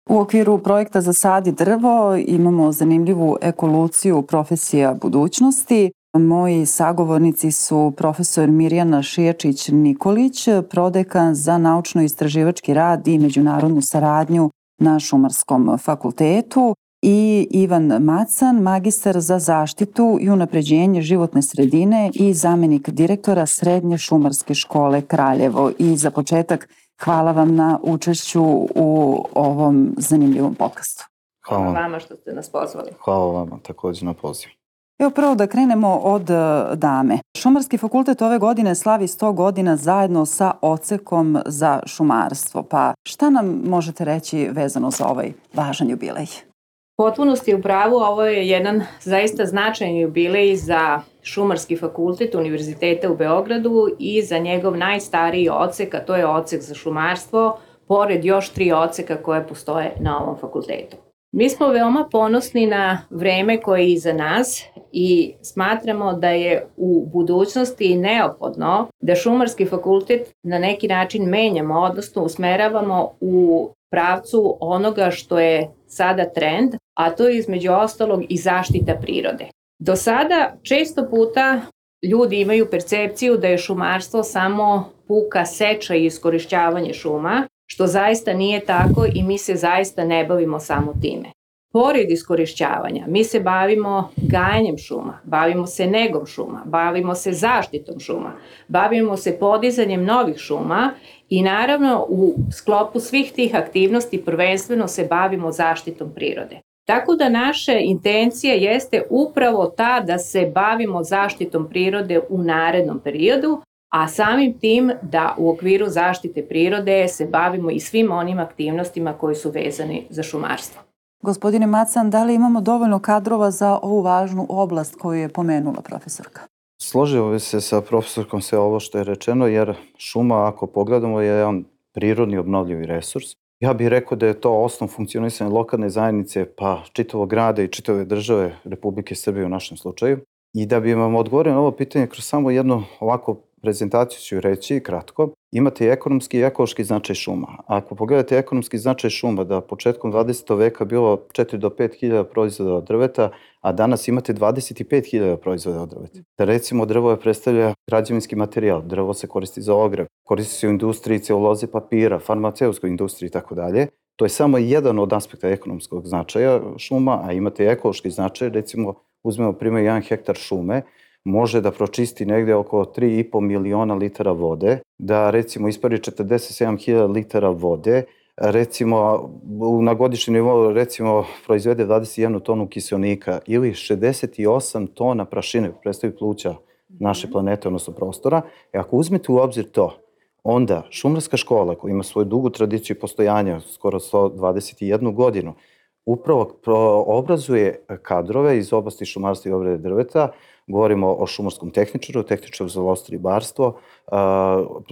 U okviru projekta Zasadi drvo imamo zanimljivu ekoluciju profesija budućnosti. Moji sagovornici su profesor Mirjana Šijačić-Nikolić, prodekan za naučno-istraživački rad i međunarodnu saradnju na Šumarskom fakultetu, i Ivan Macan, magistar za zaštitu i unapređenje životne sredine i zamenik direktora Srednje šumarske škole Kraljevo. I za početak, hvala vam na učešću u ovom zanimljivom podcastu. Hvala vama što ste nas pozvali. Hvala vama također na pozivu. Evo prvo da krenemo od dame. Šumarski fakultet ove godine slavi 100 godina zajedno sa odsekom za šumarstvo. Pa šta nam možete reći vezano za ovaj važan jubilej? Potpunosti u pravu, ovo je jedan zaista značajan jubilej za Šumarski fakultet Univerziteta u Beogradu i za njegov najstariji odsek, a to je odsek za šumarstvo, pored još 3 odseka koje postoje na ovom fakultetu. Mi smo veoma ponosni na vreme koje je iza nas i smatramo da je u budućnosti neophodno da Šumarski fakultet na neki način menjamo, odnosno usmeravamo u pravcu onoga što je sada trend, a to je između ostalog i zaštita prirode. Do sada često puta ljudi imaju percepciju da je šumarstvo samo puka seča i iskorišćavanje šuma, što zaista nije tako i mi se zaista ne bavimo samo time. Pored iskorišćavanja, mi se bavimo gajanjem šuma, bavimo se negom šuma, bavimo se zaštitom šuma, bavimo se podizanjem novih šuma i naravno u sklopu svih tih aktivnosti prvenstveno se bavimo zaštitom prirode. Tako da naša intencija jeste upravo ta da se bavimo zaštitom prirode u narednom periodu, a samim tim da u okviru zaštite prirode se bavimo i svim onim aktivnostima koji su vezani za šumarstvo. Gospodine Macan, da li imamo dovoljno kadrova za ovu važnu oblast koju je pomenula profesorka? Složio bi se sa profesorkom sve ovo što je rečeno, jer šuma, ako pogledamo, je jedan prirodni obnovljivi resurs. Ja bih rekao da je to osnov funkcionisanja lokalne zajednice, pa čitavog grada i čitave države Republike Srbije u našem slučaju. I da bi vam odgovorio na ovo pitanje kroz samo jednu ovako prezentaciju ću reći kratko. Imate i ekonomski i ekološki značaj šuma. Ako pogledate ekonomski značaj šuma, da početkom 20. veka bilo 4 do 5 hiljada proizvoda od drveta, a danas imate 25 hiljada proizvoda od drveta. Da recimo drvo predstavlja građevinski materijal, drvo se koristi za ogreb, koristi se u industriji celuloze papira, farmaceutskoj industriji i tako dalje. To je samo jedan od aspekta ekonomskog značaja šuma, a imate i ekološki značaj. Recimo, uzmemo primjer 1 hektar šume, može da pročisti negde oko 3,5 miliona litara vode, da recimo ispari 47.000 litara vode, recimo na godišnjem nivou recimo proizvede 21 tonu kiseonika ili 68 tona prašine, predstavlja pluća naše planete, odnosno prostora. I ako uzmete u obzir to, onda Šumarska škola koja ima svoju dugu tradiciju postojanja, skoro 121 godinu, upravo obrazuje kadrove iz oblasti šumarstva i obrade drveta. Govorimo o šumarskom tehničaru, tehničaru za lovstvo i ribarstvo,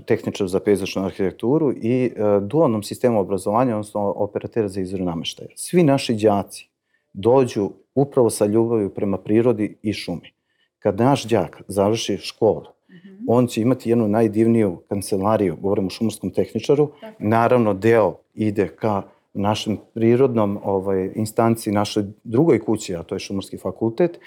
tehničaru za pejzažnu arhitekturu i dualnom sistemu obrazovanja, odnosno operatera za izradu nameštaja. Svi naši đaci dođu upravo sa ljubavlju prema prirodi i šumi. Kad naš đak završi školu, on će imati jednu najdivniju kancelariju, govorimo o šumarskom tehničaru, naravno deo ide ka našem prirodnom instanciji, našoj drugoj kući, a to je Šumarski fakultet,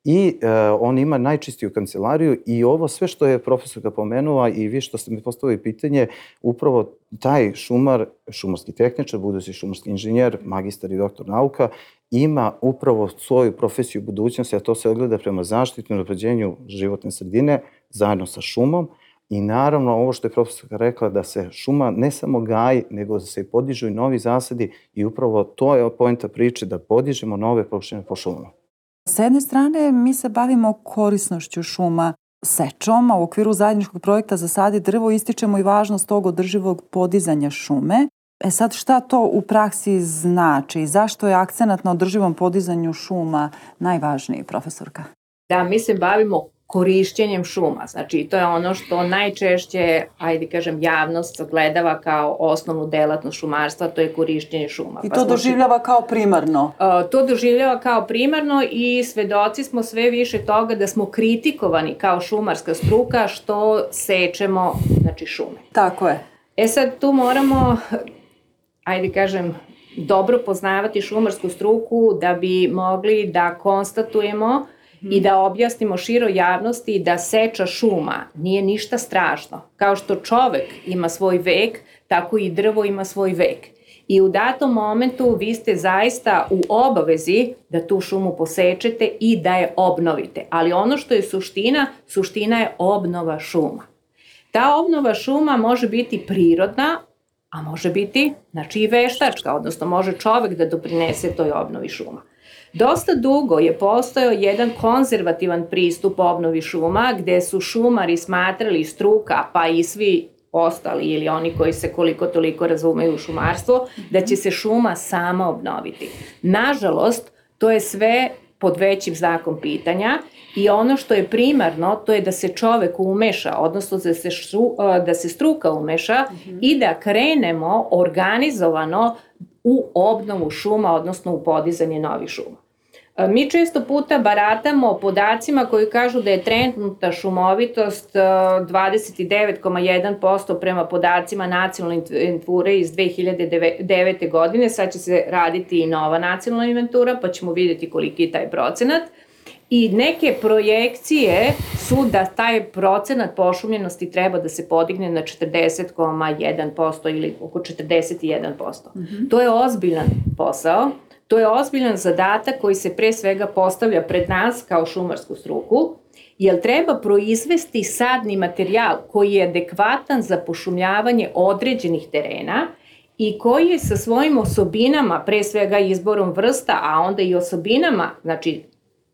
i on ima najčistiju kancelariju i ovo sve što je profesorka pomenula i vi što ste mi postavili pitanje, upravo taj šumar, šumarski tehničar, budući šumarski inženjer, magistar i doktor nauka, ima upravo svoju profesiju budućnosti, a to se ogleda prema zaštiti i unapređenju životne sredine zajedno sa šumom. I naravno ovo što je profesorka rekla da se šuma ne samo gaji, nego da se podižu i novi zasadi i upravo to je poenta priče da podižemo nove površine po šumama. S jedne strane mi se bavimo korisnošću šuma, sečom, a u okviru zajedničkog projekta Zasadi drvo ističemo i važnost tog održivog podizanja šume. Sad šta to u praksi znači? Zašto je akcenat na održivom podizanju šuma najvažniji, profesorka? Da, mi se bavimo korišćenjem šuma. Znači, to je ono što najčešće, javnost sagledava kao osnovnu delatnost šumarstva, to je korišćenje šuma. I to doživljava kao primarno? To doživljava kao primarno i svedoci smo sve više toga da smo kritikovani kao šumarska struka što sečemo, šume. Tako je. Sad tu moramo, dobro poznavati šumarsku struku da bi mogli da konstatujemo i da objasnimo široj javnosti da seča šuma nije ništa strašno. Kao što čovek ima svoj vek, tako i drvo ima svoj vek. I u datom momentu vi ste zaista u obavezi da tu šumu posečete i da je obnovite. Ali ono što je suština je obnova šuma. Ta obnova šuma može biti prirodna, a može biti i veštačka, odnosno može čovek da doprinese toj obnovi šuma. Dosta dugo je postojao jedan konzervativan pristup obnovi šuma, gde su šumari smatrali, struka, pa i svi ostali ili oni koji se koliko toliko razumeju u šumarstvo, da će se šuma sama obnoviti. Nažalost, to je sve pod većim znakom pitanja i ono što je primarno, to je da se čovek umeša, odnosno da se struka umeša i da krenemo organizovano u obnovu šuma, odnosno u podizanje novih šuma. Mi često puta baratamo podacima koji kažu da je trenutna šumovitost 29,1% prema podacima nacionalne inventure iz 2009. godine. Sad će se raditi i nova nacionalna inventura, pa ćemo vidjeti koliki je taj procenat. I neke projekcije su da taj procenat pošumljenosti treba da se podigne na 40,1% ili oko 41%. To je ozbiljan posao. To je ozbiljan zadatak koji se pre svega postavlja pred nas kao šumarsku struku, jer treba proizvesti sadni materijal koji je adekvatan za pošumljavanje određenih terena i koji je sa svojim osobinama, pre svega izborom vrsta, a onda i osobinama,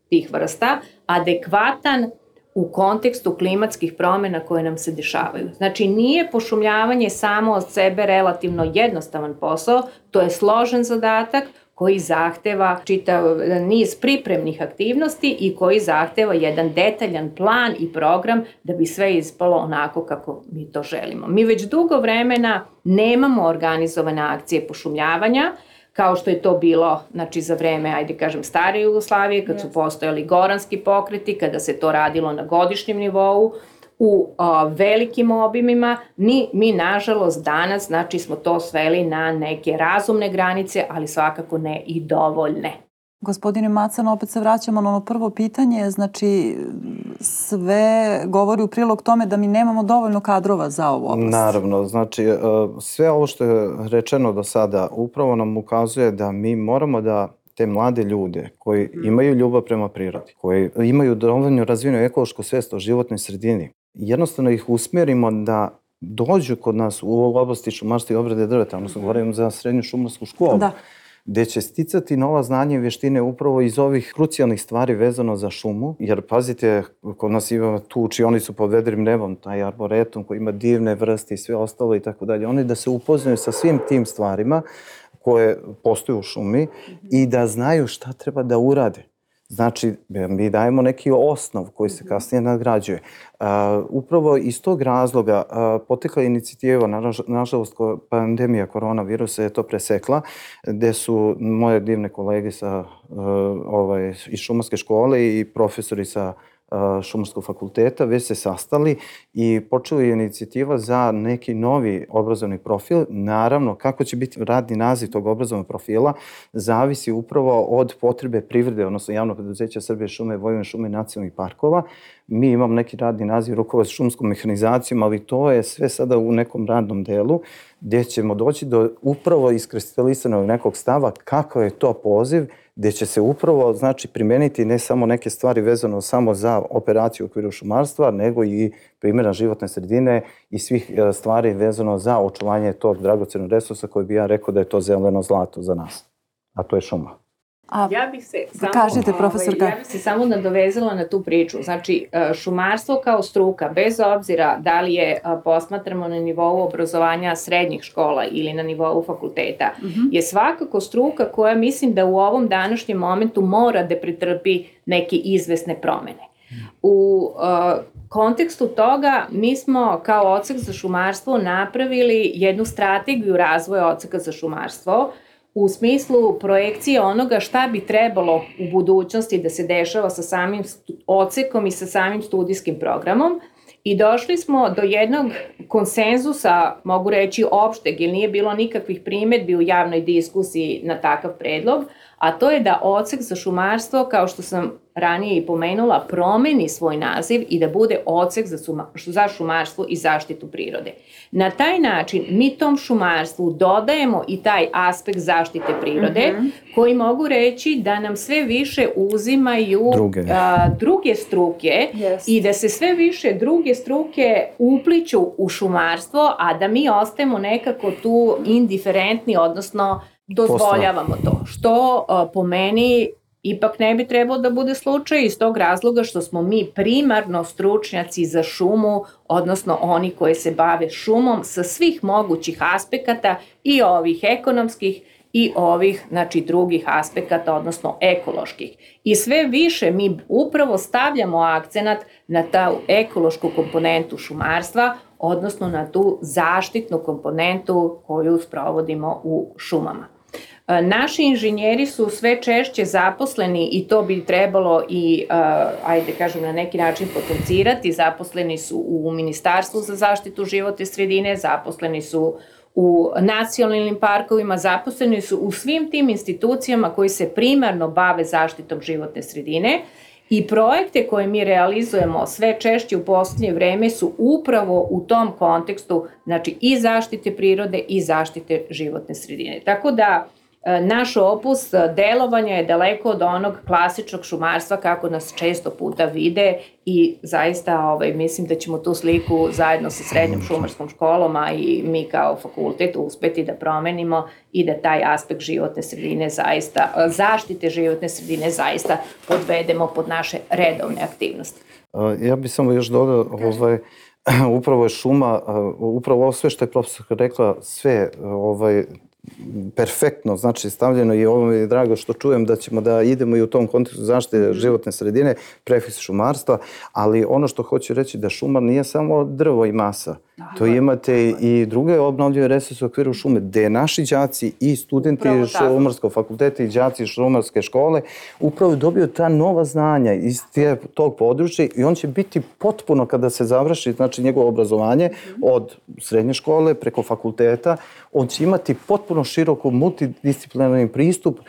tih vrsta, adekvatan u kontekstu klimatskih promjena koje nam se dešavaju. Nije pošumljavanje samo od sebe relativno jednostavan posao, to je složen zadatak koji zahteva čitav niz pripremnih aktivnosti i koji zahteva jedan detaljan plan i program da bi sve ispalo onako kako mi to želimo. Mi već dugo vremena nemamo organizovane akcije pošumljavanja, kao što je to bilo za vreme, stare Jugoslavije, kad su postojali goranski pokreti, kada se to radilo na godišnjem nivou, u velikim obimima. Mi nažalost danas smo to sveli na neke razumne granice, ali svakako ne i dovoljne. Gospodine Macan, opet se vraćamo na ono prvo pitanje, sve govori u prilog tome da mi nemamo dovoljno kadrova za ovu oblast. Naravno, sve ovo što je rečeno do sada upravo nam ukazuje da mi moramo da te mlade ljude koji imaju ljubav prema prirodi, koji imaju dovoljno razvijenu ekološku svest o životnoj sredini, jednostavno ih usmjerimo da dođu kod nas u oblasti šumarstva i obrade drveta, odnosno govorim za srednju šumarsku školu, gde će sticati nova znanja i vještine upravo iz ovih krucijalnih stvari vezano za šumu, jer pazite, kod nas ima tu učionicu pod vedrim nebom, taj arboretum koji ima divne vrste i sve ostalo i tako dalje, oni da se upoznaju sa svim tim stvarima koje postoje u šumi i da znaju šta treba da urade. Mi dajemo neki osnov koji se kasnije nadgrađuje. Upravo iz tog razloga potekla je inicijativa, nažalost pandemija koronavirusa je to presekla, gde su moje divne kolege iz šumarske škole i profesori sa Šumarskog fakulteta već se sastali i počela je inicijativa za neki novi obrazovni profil. Naravno, kako će biti radni naziv tog obrazovnog profila zavisi upravo od potrebe privrede, odnosno javnog preduzeća Srbije šume, Vojvodine šume i nacionalnih parkova. Mi imamo neki radni naziv rukovac šumskom mehanizacijom, ali to je sve sada u nekom radnom delu gdje ćemo doći do upravo iskristalisanog nekog stava kakav je to poziv, gdje će se upravo primeniti ne samo neke stvari vezano samo za operaciju u okviru šumarstva, nego i primjera životne sredine i svih stvari vezano za očuvanje tog dragocenog resursa koji bi ja rekao da je to zeleno zlato za nas, a to je šuma. Ja bih se samo nadovezala na tu priču. Šumarstvo kao struka, bez obzira da li je posmatramo na nivou obrazovanja srednjih škola ili na nivou fakulteta, je svakako struka koja mislim da u ovom današnjem momentu mora da pretrpi neke izvesne promene. U kontekstu toga mi smo kao odsek za šumarstvo napravili jednu strategiju razvoja odseka za šumarstvo u smislu projekcije onoga šta bi trebalo u budućnosti da se dešava sa samim odsekom i sa samim studijskim programom. I došli smo do jednog konsenzusa, mogu reći opšteg, jer nije bilo nikakvih primedbi u javnoj diskusiji na takav predlog, a to je da odsek za šumarstvo, kao što sam ranije i pomenula, promeni svoj naziv i da bude odsek za šumarstvo i zaštitu prirode. Na taj način mi tom šumarstvu dodajemo i taj aspekt zaštite prirode, koji mogu reći da nam sve više uzimaju druge struke i da se sve više druge struke upliću u šumarstvo, a da mi ostajemo nekako tu indiferentni, odnosno dozvoljavamo to, što po meni ipak ne bi trebalo da bude slučaj iz tog razloga što smo mi primarno stručnjaci za šumu, odnosno oni koji se bave šumom sa svih mogućih aspekata i ovih ekonomskih i ovih, znači, drugih aspekata, odnosno ekoloških. I sve više mi upravo stavljamo akcenat na tu ekološku komponentu šumarstva, odnosno na tu zaštitnu komponentu koju sprovodimo u šumama. Naši inženjeri su sve češće zaposleni i to bi trebalo i, ajde kažem, na neki način potencirati. Zaposleni su u Ministarstvu za zaštitu životne sredine, zaposleni su u nacionalnim parkovima, zaposleni su u svim tim institucijama koji se primarno bave zaštitom životne sredine. I projekte koje mi realizujemo sve češće u poslednje vreme su upravo u tom kontekstu, znači i zaštite prirode i zaštite životne sredine. Tako da naš opus delovanja je daleko od onog klasičnog šumarstva kako nas često puta vide i zaista mislim da ćemo tu sliku zajedno sa srednjom šumarskom školom, a i mi kao fakultet uspeti da promenimo i da taj aspekt životne sredine zaista, zaštite životne sredine zaista podvedemo pod naše redovne aktivnosti. Ja bih samo još dodao, upravo je šuma, upravo ovo sve što je profesorka rekla, sve perfektno, znači stavljeno i ovo mi je drago što čujem da ćemo da idemo i u tom kontekstu zaštite životne sredine, prefiks šumarstva, ali ono što hoću reći da šuma nije samo drvo i masa. To imate i druge obnovljive resurse u okviru šume, gde naši đaci i studenti Šumarskog fakulteta i đaci Šumarske škole upravo dobiju ta nova znanja iz tog područja i on će biti potpuno kada se završi, znači njegovo obrazovanje od srednje škole preko fakulteta, on će imati potpuno široko multidisciplinarni pristup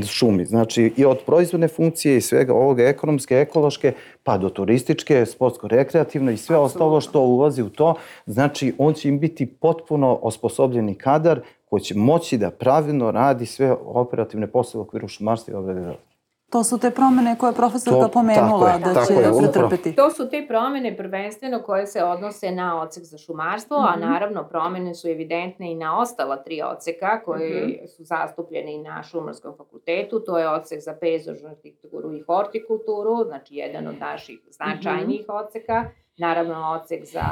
šumi. Znači i od proizvodne funkcije i svega ovoga ekonomske, ekološke, pa do turističke, sportsko-rekreativne i sve ostalo što ulazi u to. Znači, on će im biti potpuno osposobljeni kadar koji će moći da pravilno radi sve operativne poslove u okviru šumarstva i obrade drva. To su te promene koje je profesorka pomenula da će pretrpeti. To su te promene prvenstveno koje se odnose na odsek za šumarstvo, a naravno promene su evidentne i na ostala 3 odseka koji su zastupljeni na Šumarskom fakultetu. To je odsek za pejzažnu arhitekturu i hortikulturu, znači jedan od naših značajnijih odseka. Naravno, odsek za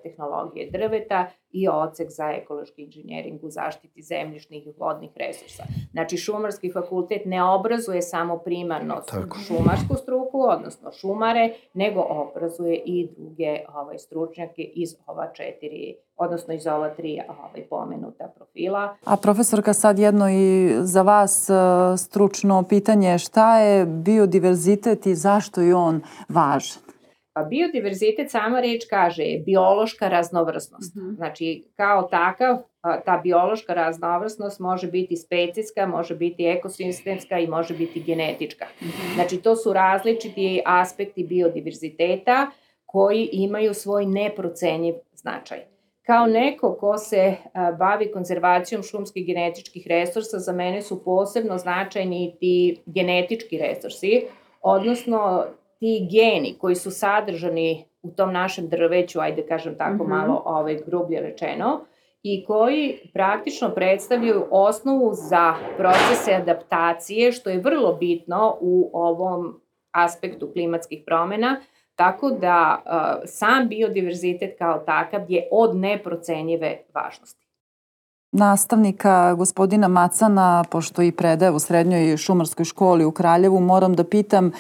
tehnologije drveta i odsek za ekološki inženjering u zaštiti zemljišnih i vodnih resursa. Znači, Šumarski fakultet ne obrazuje samo primarno šumarsku struku, odnosno šumare, nego obrazuje i druge stručnjake iz ova 4, odnosno iz ova 3 pomenuta profila. A profesorka, sad jedno i za vas stručno pitanje, šta je biodiverzitet i zašto je on važan? Biodiverzitet, sama reč kaže, je biološka raznovrsnost. Znači, kao takav, ta biološka raznovrsnost može biti specijska, može biti ekosistemska i može biti genetička. Znači, to su različiti aspekti biodiverziteta koji imaju svoj neprocenjiv značaj. Kao neko ko se bavi konzervacijom šumskih genetičkih resursa, za mene su posebno značajni ti genetički resursi, odnosno ti geni koji su sadržani u tom našem drveću, ajde kažem tako malo grublje rečeno, i koji praktično predstavljaju osnovu za procese adaptacije, što je vrlo bitno u ovom aspektu klimatskih promena, tako da sam biodiverzitet kao takav je od neprocenjive važnosti. Nastavnika gospodina Macana, pošto i predaje u Srednjoj šumarskoj školi u Kraljevu, moram da pitam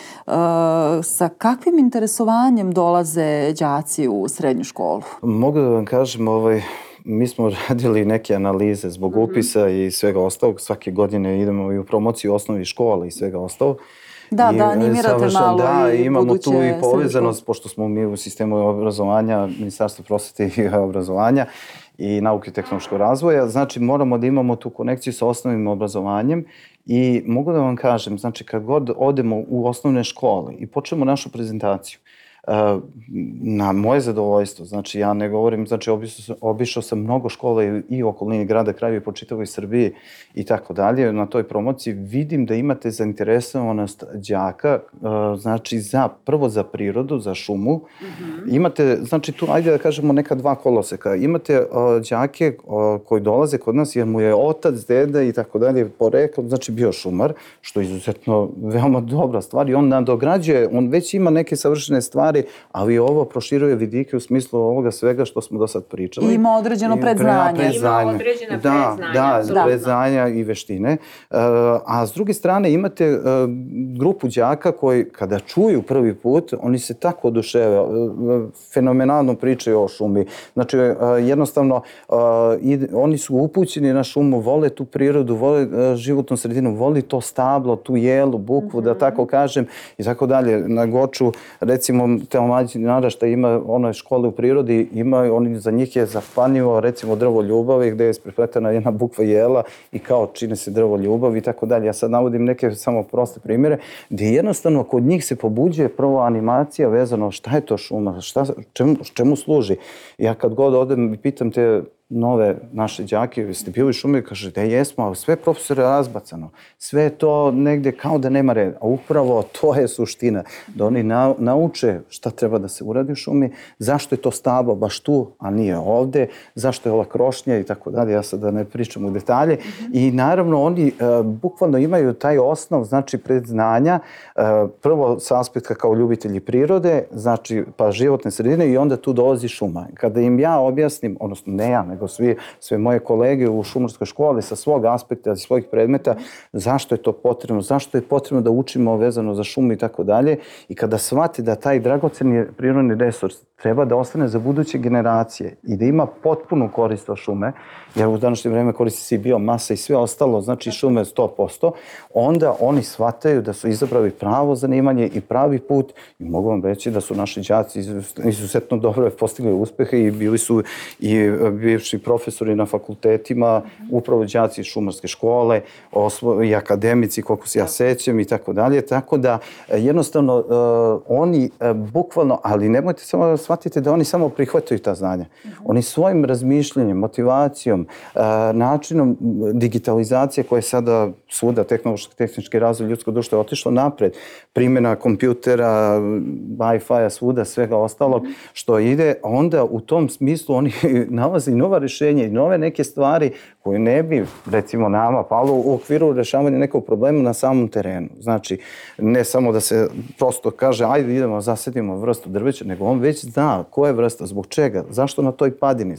sa kakvim interesovanjem dolaze đaci u srednju školu? Mogu da vam kažem, mi smo radili neke analize zbog upisa i svega ostalog. Svake godine idemo i u promociju osnovnih škola i svega ostalog. Da, animirate malo i imamo buduće tu i povezanost, pošto smo mi u sistemu obrazovanja, Ministarstvo prosvete i obrazovanja i nauke i tehnološkog razvoja, znači moramo da imamo tu konekciju sa osnovnim obrazovanjem i mogu da vam kažem, znači kad god odemo u osnovne škole i počnemo našu prezentaciju, na moje zadovoljstvo, znači ja ne govorim, znači obišao sam mnogo škola i u okolini grada Kraljeva i po čitavoj Srbiji i tako dalje, na toj promociji vidim da imate zainteresovanost đaka, znači prvo za prirodu, za šumu, imate, znači tu, ajde da kažemo neka dva koloseka, imate đake koji dolaze kod nas jer mu je otac, deda i tako dalje poreklom, znači bio šumar, što je izuzetno veoma dobra stvar i on nadograđuje, on već ima neke savršene stvari, ali ovo proširuje vidike u smislu ovoga svega što smo do sad pričali. I ima određeno predznanje. Ima određena predznanja. Da, predznanja i veštine. A s druge strane imate grupu đaka koji kada čuju prvi put, oni se tako oduševe, fenomenalno pričaju o šumi. Znači jednostavno oni su upućeni na šumu, vole tu prirodu, vole životnu sredinu, vole to stablo, tu jelu, bukvu, da tako kažem i tako dalje. Na Goču, recimo, te mlađi naraštaj ima one škole u prirodi, za njih je zapanjivo recimo drvo ljubavi gde je isprepletena jedna bukva jela i kao čine se drvo ljubavi i tako dalje. Ja sad navodim neke samo proste primjere gde jednostavno kod njih se pobuđuje prvo animacija vezano šta je to šuma, čemu služi. Ja kad god odem i pitam te nove naše đake, jeste bili u šumi, kaže da jesmo, ali sve profesore razbacano, sve je to negde kao da nema reda, a upravo to je suština, da oni nauče šta treba da se uradi u šumi, zašto je to stablo baš tu, a nije ovde, zašto je ova krošnja i tako dalje, ja sad da ne pričam u detalje i naravno oni bukvalno imaju taj osnov, znači predznanja, prvo sa aspekta kao ljubitelji prirode, znači pa životne sredine i onda tu dolazi šuma. Kada im ja objasnim, odnosno ne ja, nego sve moje kolege u šumarskoj školi sa svog aspekta, iz svojih predmeta, zašto je to potrebno, zašto je potrebno da učimo vezano za šumu i tako dalje. I kada shvati da taj dragoceni prirodni resurs treba da ostane za buduće generacije i da ima potpunu korist od šume, jer u današnje vreme koristi se i biomasa i sve ostalo, znači šume 100%, onda oni shvataju da su izabrali pravo zanimanje i pravi put i mogu vam reći da su naši đaci izuzetno dobro postigli uspehe i bili su i bivši profesori na fakultetima, upravo đaci iz šumarske škole i akademici, koliko se ja sećam i tako dalje, tako da jednostavno oni bukvalno, ali nemojte samo da shvatite da oni samo prihvataju ta znanja. Oni svojim razmišljanjem, motivacijom, načinom digitalizacije koja je sada svuda tehnički razvoj ljudsko društvo je otišlo napred, primjena kompjutera, Wi-Fi-a, svuda, svega ostalog što ide, onda u tom smislu oni nalaze i nova rješenja i nove neke stvari koje ne bi, recimo nama, palo u okviru rešavanja nekog problema na samom terenu. Znači, ne samo da se prosto kaže, ajde idemo, zasadimo vrstu drveća, nego on već zna koja je vrsta, zbog čega, zašto na toj padini,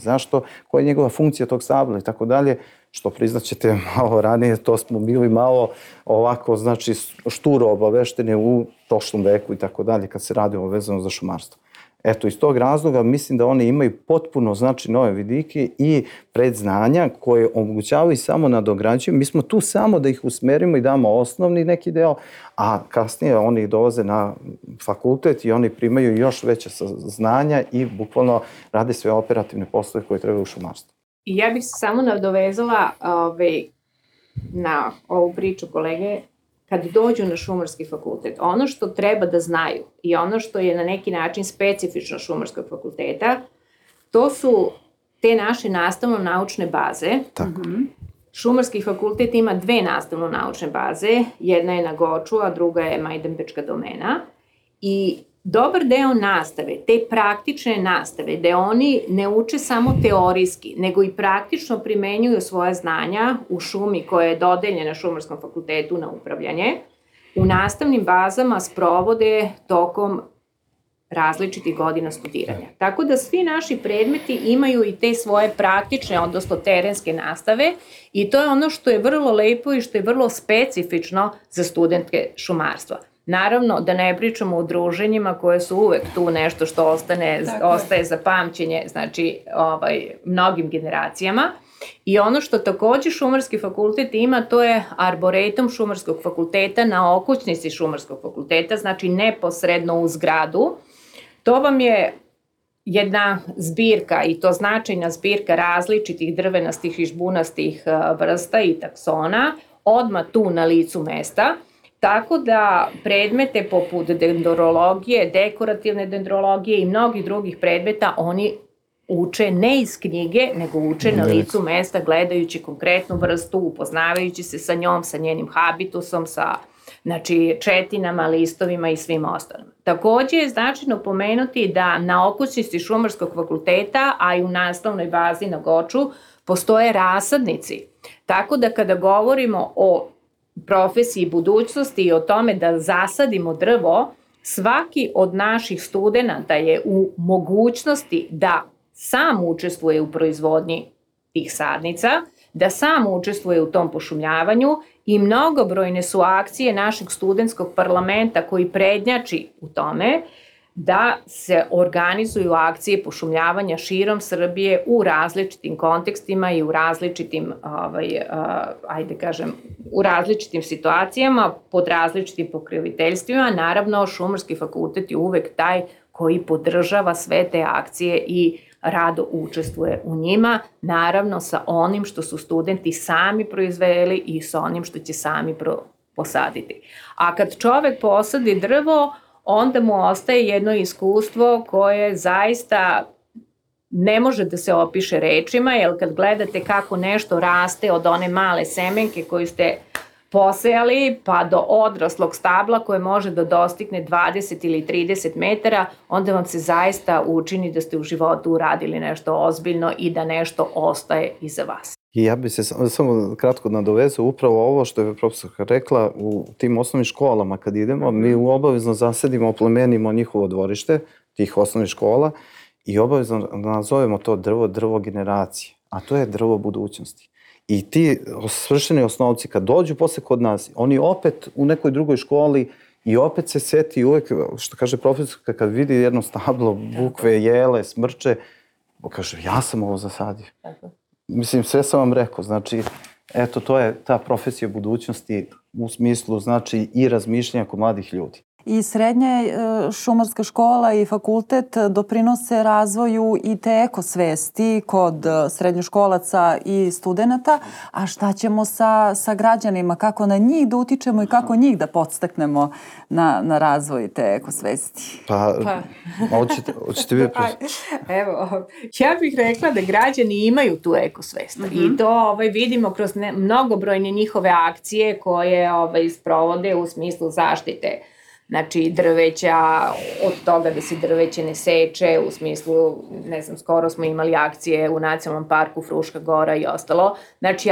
koja je njegova funkcija tog stabla i tako dalje, što priznaćete malo ranije, to smo bili malo ovako, znači, šturo obavešteni u prošlom veku i tako dalje, kad se radi vezano za šumarstvo. Eto, iz tog razloga mislim da oni imaju potpuno, znači, nove vidike i predznanja koje omogućavaju i samo nadograđuju. Mi smo tu samo da ih usmerimo i damo osnovni neki deo, a kasnije oni dolaze na fakultet i oni primaju još veće znanja i bukvalno rade sve operativne poslove koje trebaju u šumarstvu. I ja bih se samo nadovezala na ovu priču kolege. Kad dođu na šumarski fakultet, ono što treba da znaju i ono što je na neki način specifično šumarskog fakulteta, to su te naše nastavno-naučne baze. Tako. Šumarski fakultet ima dve nastavno-naučne baze, jedna je na Goču, a druga je Majdanpečka domena. I dobar deo nastave, te praktične nastave, gde oni ne uče samo teorijski, nego i praktično primenjuju svoje znanja u šumi koja je dodeljena Šumarskom fakultetu na upravljanje, u nastavnim bazama sprovode tokom različitih godina studiranja. Tako da svi naši predmeti imaju i te svoje praktične, odnosno terenske nastave i to je ono što je vrlo lepo i što je vrlo specifično za studentke šumarstva. Naravno, da ne pričamo o druženjima koje su uvek tu nešto što ostaje za pamćenje, znači mnogim generacijama, I ono što takođe Šumarski fakultet ima, to je arboretum Šumarskog fakulteta na okućnici Šumarskog fakulteta, znači neposredno u zgradu. To vam je jedna zbirka, i to značajna zbirka različitih drvenastih i žbunastih vrsta i taksona, odmah tu na licu mesta, tako da predmete poput dendrologije, dekorativne dendrologije i mnogih drugih predmeta oni uče ne iz knjige, nego uče na licu mesta, gledajući konkretnu vrstu, upoznavajući se sa njom, sa njenim habitusom, sa četinama, listovima i svim ostalim. Takođe je značajno pomenuti da na okućnici Šumarskog fakulteta, a i u nastavnoj bazi na Goču, postoje rasadnici. Tako da kada govorimo o profesiji budućnosti i o tome da zasadimo drvo, svaki od naših studenata je u mogućnosti da sam učestvuje u proizvodnji tih sadnica, da sam učestvuje u tom pošumljavanju i mnogobrojne su akcije našeg studentskog parlamenta koji prednjači u tome da se organizuju akcije pošumljavanja širom Srbije u različitim kontekstima i u različitim, u različitim situacijama, pod različitim pokroviteljstvima. Naravno, Šumarski fakultet je uvek taj koji podržava sve te akcije i rado učestvuje u njima, naravno sa onim što su studenti sami proizveli i sa onim što će sami posaditi. A kad čovek posadi drvo, onda mu ostaje jedno iskustvo koje zaista ne može da se opiše rečima, jer kad gledate kako nešto raste od one male semenke koju ste posejali pa do odraslog stabla koje može da dostigne 20 ili 30 metara, onda vam se zaista učini da ste u životu uradili nešto ozbiljno i da nešto ostaje iza vas. I ja bih se samo kratko nadovezao upravo ovo što je profesorka rekla, u tim osnovnim školama kad idemo, mi obavezno zasadimo, oplemenimo njihovo dvorište tih osnovnih škola i obavezno nazovemo to drvo generacije, a to je drvo budućnosti. I ti svršeni osnovci kad dođu posle kod nas, oni opet u nekoj drugoj školi i opet se seti uvek, što kaže profesorka, kad vidi jedno stablo, bukve, jele, smrče, kaže ja sam ovo zasadio. Mislim, sve sam vam rekao, znači, eto, to je ta profesija budućnosti u smislu, znači, i razmišljanja kod mladih ljudi. I srednja šumarska škola i fakultet doprinose razvoju i te ekosvesti kod srednjoškolaca i studenta, a šta ćemo sa građanima, kako na njih da utičemo i kako njih da podstaknemo na razvoj te ekosvesti? Hoćete vi? Evo, ja bih rekla da građani imaju tu ekosvest i to vidimo kroz mnogobrojne njihove akcije koje sprovode u smislu zaštite. Znači, drveća, od toga da se drveće ne seče, u smislu, ne znam, skoro smo imali akcije u Nacionalnom parku Fruška Gora i ostalo. Znači,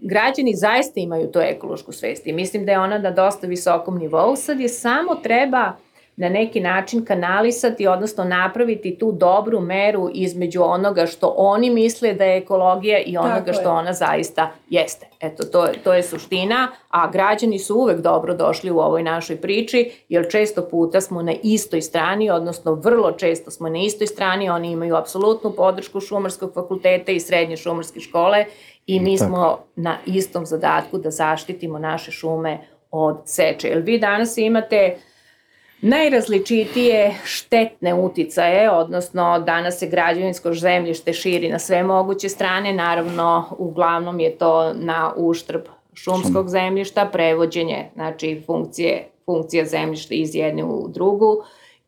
građani zaista imaju tu ekološku svest i mislim da je ona na dosta visokom nivou. Sad je samo treba na neki način kanalisati, odnosno napraviti tu dobru meru između onoga što oni misle da je ekologija i onoga što ona zaista jeste. Eto, to je suština, a građani su uvek dobro došli u ovoj našoj priči, jer često puta smo na istoj strani, odnosno vrlo često smo na istoj strani, oni imaju apsolutnu podršku Šumarskog fakulteta i srednje šumarske škole i mi smo na istom zadatku da zaštitimo naše šume od seče. Jer vi danas imate najrazličitije štetne uticaje, odnosno danas se građevinsko zemljište širi na sve moguće strane, naravno uglavnom je to na uštrb šumskog zemljišta, prevođenje, znači funkcija zemljišta iz jedne u drugu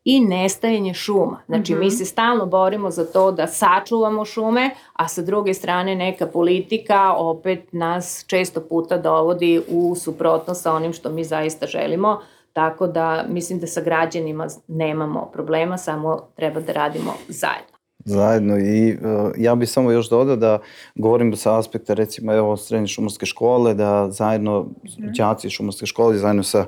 i nestajanje šuma. Znači mi se stalno borimo za to da sačuvamo šume, a sa druge strane neka politika opet nas često puta dovodi u suprotnost sa onim što mi zaista želimo. Tako da mislim da sa građanima nemamo problema, samo treba da radimo zajedno. Zajedno i ja bih samo još dodao da govorim sa aspekta recimo evo srednje šumarske škole, da zajedno đaci šumarske škole, zajedno sa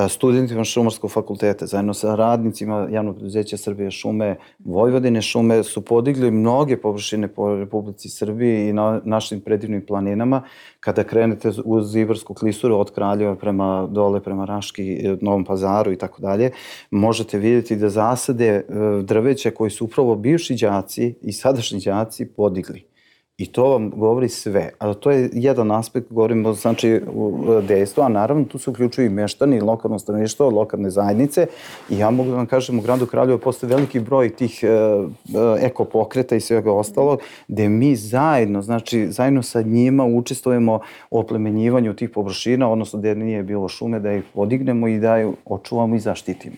studentima Šumarskog fakulteta, zajedno sa radnicima javnog preduzeća Srbije šume, Vojvodine šume su podigli mnoge površine po Republici Srbiji i na našim predivnim planinama. Kada krenete uz Ibarsku klisuru od Kraljeva prema dole, prema Raški, Novom Pazaru i tako dalje, možete vidjeti da zasade drveća koji su upravo bivši đaci i sadašnji đaci podigli. I to vam govori sve. A to je jedan aspekt, govorimo znači u dejstvu, a naravno tu se uključuju i meštani, lokalno stanovništvo, lokalne zajednice. I ja mogu da vam kažem, u gradu Kraljevo postoji veliki broj tih ekopokreta i svega ostalog, gde mi zajedno, znači zajedno sa njima učestvujemo u oplemenjivanju tih površina, odnosno gde nije bilo šume, da ih podignemo i da ih očuvamo i zaštitimo.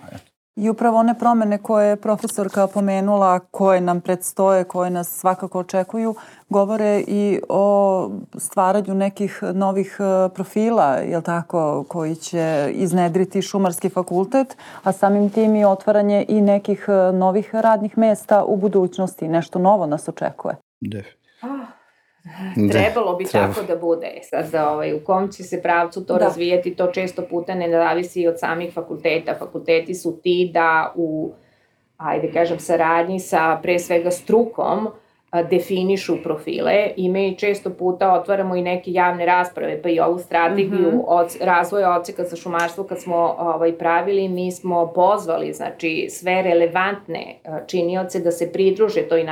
I upravo one promene koje je profesorka pomenula, koje nam predstoje, koje nas svakako očekuju, govore i o stvaranju nekih novih profila, jel tako, koji će iznedriti Šumarski fakultet, a samim tim i otvaranje i nekih novih radnih mesta u budućnosti. Nešto novo nas očekuje. Trebalo bi tako da bude. Sad, u kom će se pravcu to razvijeti, to često puta ne zavisi od samih fakulteta. Fakulteti su ti da u, saradnji sa pre svega strukom definišu profile i mi često puta otvaramo i neke javne rasprave, pa i ovu strategiju razvoja odseka za šumarstvo kad smo pravili, mi smo pozvali znači sve relevantne činioce da se pridruže toj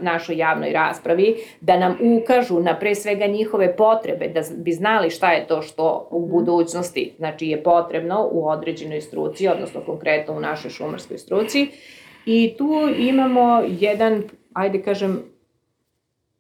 našoj javnoj raspravi, da nam ukažu na pre svega njihove potrebe, da bi znali šta je to što u budućnosti znači je potrebno u određenoj struci, odnosno konkretno u našoj šumarskoj struci. I tu imamo jedan,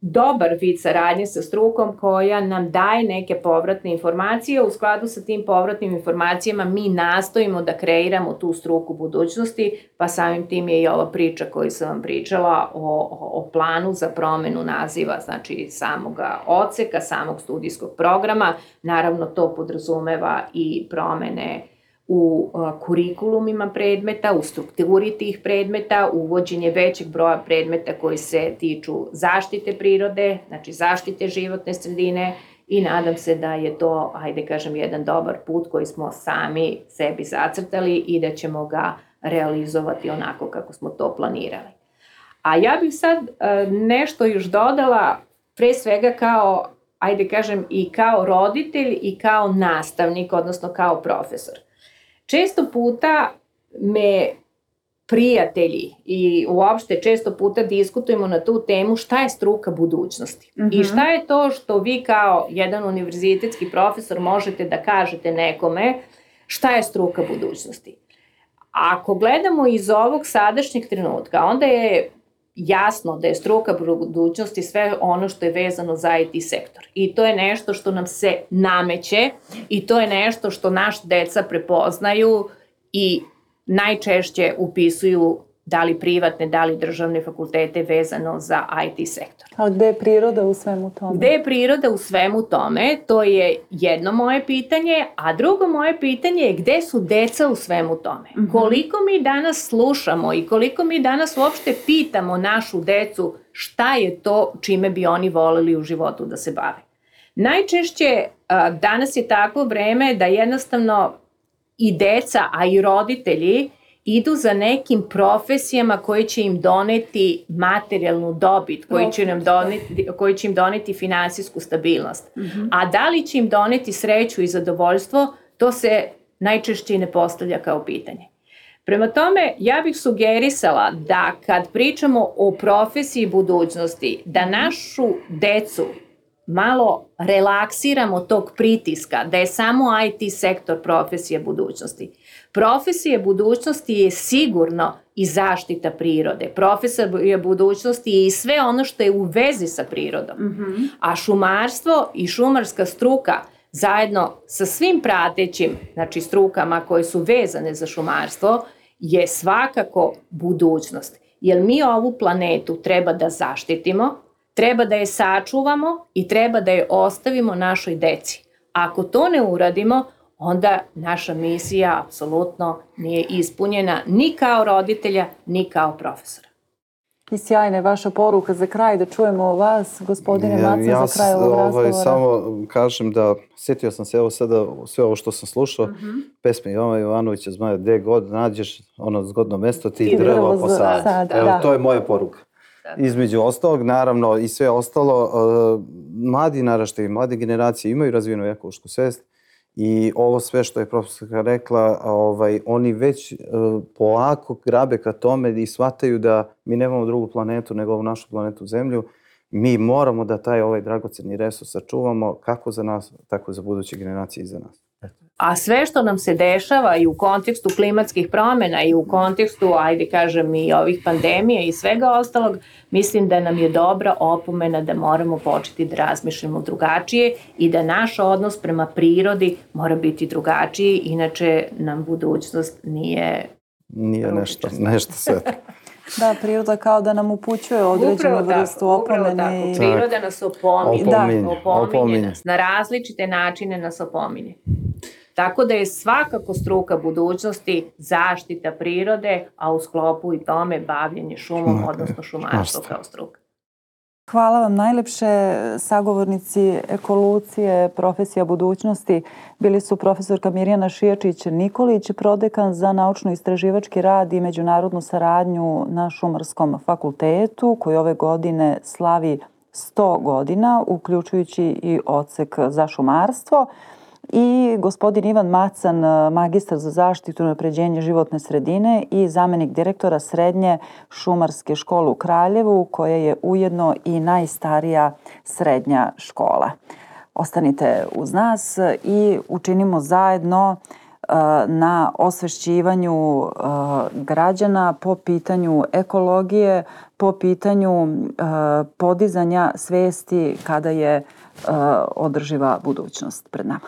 dobar vid saradnje sa strukom koja nam daje neke povratne informacije. U skladu sa tim povratnim informacijama mi nastojimo da kreiramo tu struku budućnosti, pa samim tim je i ova priča koju sam vam pričala o planu za promenu naziva, znači samog odseka, samog studijskog programa. Naravno to podrazumeva i promene u kurikulumima predmeta, u strukturi tih predmeta, uvođenje većeg broja predmeta koji se tiču zaštite prirode, znači zaštite životne sredine i nadam se da je to, jedan dobar put koji smo sami sebi zacrtali i da ćemo ga realizovati onako kako smo to planirali. A ja bih sad nešto još dodala, pre svega kao, i kao roditelj i kao nastavnik, odnosno kao profesor. Često puta me prijatelji i uopšte često puta diskutujemo na tu temu šta je struka budućnosti i šta je to što vi kao jedan univerzitetski profesor možete da kažete nekome šta je struka budućnosti. Ako gledamo iz ovog sadašnjeg trenutka, onda je jasno da je struka budućnosti sve ono što je vezano za IT sektor. I to je nešto što nam se nameće i to je nešto što naš deca prepoznaju i najčešće upisuju da li privatne, da li državne fakultete vezano za IT sektor. A gde je priroda u svemu tome? Gde je priroda u svemu tome? To je jedno moje pitanje, a drugo moje pitanje je gde su deca u svemu tome? Koliko mi danas slušamo i koliko mi danas uopšte pitamo našu decu šta je to čime bi oni voleli u životu da se bave? Najčešće danas je takvo vreme da jednostavno i deca, a i roditelji idu za nekim profesijama koji će im doneti materijalnu dobit, koji će im doneti finansijsku stabilnost. A da li će im doneti sreću i zadovoljstvo, to se najčešće ne postavlja kao pitanje. Prema tome, ja bih sugerisala da kad pričamo o profesiji budućnosti, da našu decu malo relaksiramo tog pritiska, da je samo IT sektor profesija budućnosti. Profesija budućnosti je sigurno i zaštita prirode. Profesija budućnosti je i sve ono što je u vezi sa prirodom. A šumarstvo i šumarska struka zajedno sa svim pratećim, znači strukama koje su vezane za šumarstvo, je svakako budućnost. Jer mi ovu planetu treba da zaštitimo, treba da je sačuvamo i treba da je ostavimo našoj deci. Ako to ne uradimo, onda naša misija apsolutno nije ispunjena ni kao roditelja, ni kao profesora. I sjajna je vaša poruka za kraj, da čujemo vas, gospodine Macen, za kraj ovog razgovora. Ja samo kažem da, sjetio sam se evo sada sve ovo što sam slušao, pesme Jovana Jovanovića Zmaja, gde god nađeš ono zgodno mesto, ti drvo posadi. Evo, to je moja poruka. Između ostalog, naravno, i sve ostalo, mladi naraštaji, mlade generacije imaju razvijenu ekološku svest i ovo sve što je profesorka rekla, oni već polako grabe ka tome i shvataju da mi nemamo drugu planetu nego ovu našu planetu Zemlju mi moramo da taj ovaj dragoceni resurs sačuvamo kako za nas, tako za buduće generacije iza nas. A sve što nam se dešava i u kontekstu klimatskih promjena i u kontekstu, ajde kažem, i ovih pandemija i svega ostalog, mislim da nam je dobra opomena da moramo početi da razmišljamo drugačije i da naš odnos prema prirodi mora biti drugačiji, inače nam budućnost nije nešto svetlo. Da, priroda kao da nam upućuje određenu vrstu opomene. Priroda nas opominje nas. Na različite načine nas opominje. Tako da je svakako struka budućnosti zaštita prirode, a u sklopu i tome bavljenje šumom, odnosno šumarstvo kao struka. Hvala vam najlepše. Sagovornici ekolucije, profesija budućnosti bili su profesorka Mirjana Šijačić-Nikolić, prodekan za naučno-istraživački rad i međunarodnu saradnju na Šumarskom fakultetu, koji ove godine slavi 100 godina, uključujući i odsek za šumarstvo, i gospodin Ivan Macan, magistar za zaštitu i unapređenje životne sredine i zamenik direktora Srednje šumarske škole u Kraljevu, koja je ujedno i najstarija srednja škola. Ostanite uz nas i učinimo zajedno na osvešćivanju građana po pitanju ekologije, po pitanju podizanja svesti kada je održiva budućnost pred nama.